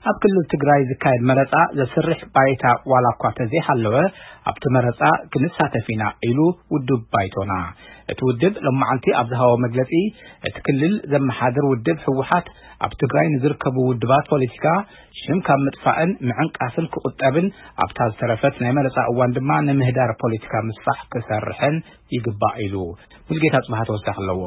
ኣብ ክልል ትግራይ ዝካየድ መረፃ ዘስርሕ ባይታ ዋላ እኳ ተዘይሃለወ፣ ኣብቲ መረፃ ክንሳተፍ ኢና ኢሉ ውድብ ባይቶና። እቲ ውድብ ሎማዓንቲ ኣብ ዝሃቦ መግለፂ፣ እቲ ክልል ዘመሓድር ውድብ ህወሓት ኣብ ትግራይ ንዝርከቡ ውድባት ፖለቲካ ሽም ካብ ምጥፋእን ምዕንቃፍን ክቁጠብን፣ ኣብታ ዝተረፈት ናይ መረፃ እዋን ድማ ንምህዳር ፖለቲካ ምስፋሕ ክሰርሕን ይግባእ ኢሉ። ሙልጌታ ጽባሃ ተወሳኺ ኣለዎ።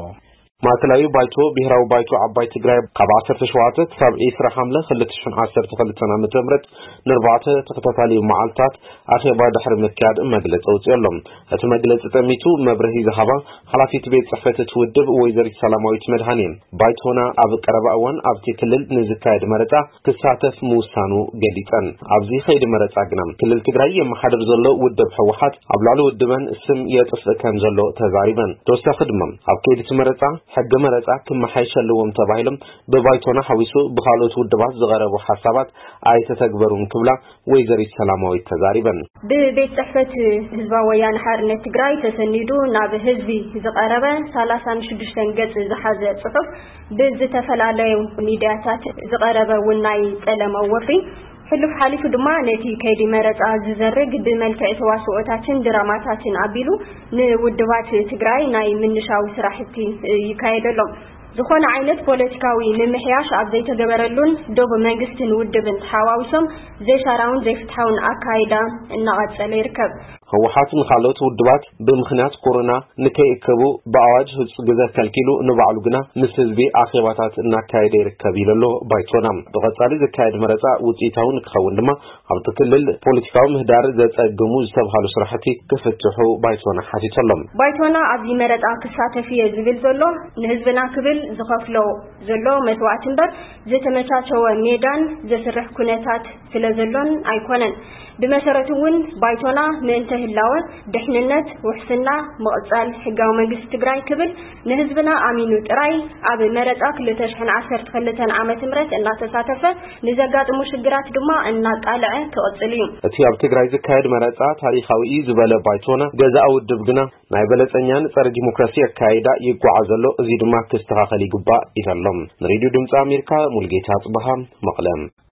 ማእከላዊ ባይቶ ብሄራዊ ባይቶ ዓባይ ትግራይ ካብ ዓሰርተ ሸውዓተ ክሳብ ዒስራ ሓምለ ክልተ ሽሕን ዓሰርተ ክልተን ዓመተ ምህረት ንኣርባዕተ ተኸታታሊ መዓልታት ኣኼባ ድሕሪ ምክያድ መግለጺ ኣውጺኡ ኣሎ። እቲ መግለጺ ጠሚቱ መብርሂ ዝሃባ ሓላፊት ቤት ጽሕፈት እቲ ውድብ ወይዘሪት ሰላማዊት መድሃኔ፣ ባይቶና ኣብ ቀረባ እዋን ኣብቲ ክልል ንዝካየድ መረጻ ክሳተፍ ምውሳኑ ገሊጸን። ኣብዚ ከይዲ መረጻ ግና ክልል ትግራይ የመሓድር ዘሎ ውድብ ህወሓት ኣብ ልዕሊ ውድበን ስም የጥፍእ ከም ዘሎ ተዛሪበን። ተወሳኺ ድማ ኣብ ከይዲ እቲ መረጻ ሕገ መረጻ ክመሓየሽ ኣለዎም ተባሂሎም ብባይቶና ሓዊሱ ብኻልኦት ውድባት ዝቐረቡ ሓሳባት ኣይተተግበሩን ክብላ ወይዘሪት ሰላማዊት ተዛሪበን። ብቤት ጽሕፈት ህዝባዊ ወያነ ሓርነት ትግራይ ተሰኒዱ ናብ ህዝቢ ዝቐረበ ሰላሳን ሽዱሽተን ገጽ ዝሓዘ ጽሑፍ ብዝተፈላለዩ ሚድያታት ዝቐረበ እውን ናይ ጸለመ ወፍሪ፣ ሕሉፍ ሓሊፉ ድማ ነቲ ከይዲ መረጻ ዝዘርግ ብመልክዕ ተዋስኦታትን ድራማታትን ኣቢሉ ንውድባት ትግራይ ናይ ምንሻዊ ስራሕቲ ይካየደሎም። ዝኾነ ዓይነት ፖለቲካዊ ምምሕያሽ ኣብ ዘይተገበረሉን ዶብ መንግስትን ውድብን ተሓዋዊሶም ዘይሻራውን ዘይፍትሓውን ኣካይዳ እናቐጸለ ይርከብ። ህወሓት ንኻልኦት ውድባት ብምኽንያት ኮሮና ንከይእከቡ ብኣዋጅ ህጹጽ ግዘ ከልኪሉ፣ ንባዕሉ ግና ምስ ህዝቢ ኣኼባታት እናካየደ ይርከብ ኢሉ ኣሎ ባይቶና። ብቐጻሊ ዝካየድ መረጻ ውጽኢታዊ ንክኸውን ድማ ኣብቲ ክልል ፖለቲካዊ ምህዳር ዘጸግሙ ዝተብሃሉ ስራሕቲ ክፍትሑ ባይቶና ሓቲቱ ኣሎ። ባይቶና ኣብዚ መረጻ ክሳተፍ እየ ዝብል ዘሎ ንህዝብና ክብል ዝኸፍሎ ዘሎ መስዋዕቲ እምበር ዝተመቻቸወ ሜዳን ዘስርሕ ኩነታት ስለ ዘሎን ኣይኮነን። ብመሰረቱ እውን ባይቶና ምእንተ ህላወ፣ ድሕንነት፣ ውሕስና፣ ምቕጻል ሕጋዊ መንግስቲ ትግራይ ክብል ንህዝብና ኣሚኑ ጥራይ ኣብ መረጻ ክልተ ሽሕን ዓሰርተ ክልተን ዓመተ ምህረት እናተሳተፈ ንዘጋጥሙ ሽግራት ድማ እናቃልዐ ክቕጽል እዩ። እቲ ኣብ ትግራይ ዝካየድ መረጻ ታሪኻዊ እዩ ዝበለ ባይቶና፣ ገዛኢ ውድብ ግና ናይ በለጸኛን ጸረ ዲሞክራሲ ኣካይዳ ይጓዓዝ ኣሎ፣ እዚ ድማ ክስተኻኸል ይግባእ ኢሉ ኣሎ። ንሬድዮ ድምፂ ኣሜሪካ ሙልጌታ ጽበሃ መቐለ።